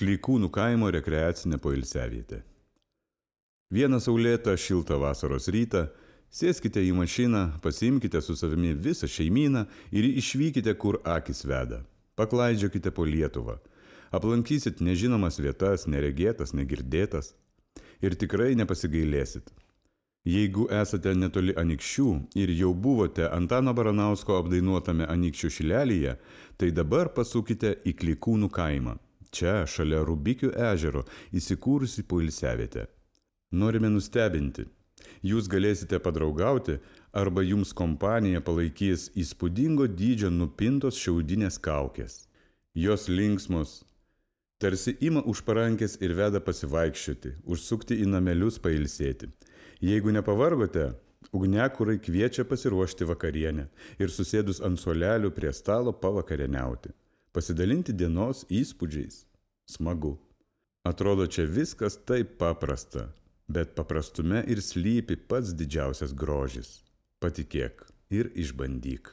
Klykūnų kaimo rekreacinė poilsiavietė. Vieną saulėtą, šiltą vasaros rytą sėskite į mašiną, pasiimkite su savimi visą šeimyną ir išvykite, kur akis veda. Paklaidžiokite po Lietuvą. Aplankysit nežinomas vietas, neregėtas, negirdėtas. Ir tikrai nepasigailėsit. Jeigu esate netoli Anykščių ir jau buvote Antano Baranausko apdainuotame Anykščių šilelyje, tai dabar pasukite į Klykūnų kaimą. Čia, šalia Rubikių ežero, įsikūrusi poilsiavietė. Norime nustebinti. Jūs galėsite padraugauti arba jums kompaniją palaikys įspūdingo dydžio nupintos šiaudinės kaukės. Jos linksmos, tarsi ima už parankės ir veda pasivaikščioti, užsukti į namelius pailsėti. Jeigu nepavargote, ugniakurai kviečia pasiruošti vakarienę ir susėdus ant suolelių prie stalo pavakarieniauti. Pasidalinti dienos įspūdžiais. Smagu. Atrodo, čia viskas taip paprasta, bet paprastume ir slypi pats didžiausias grožis. Patikėk ir išbandyk.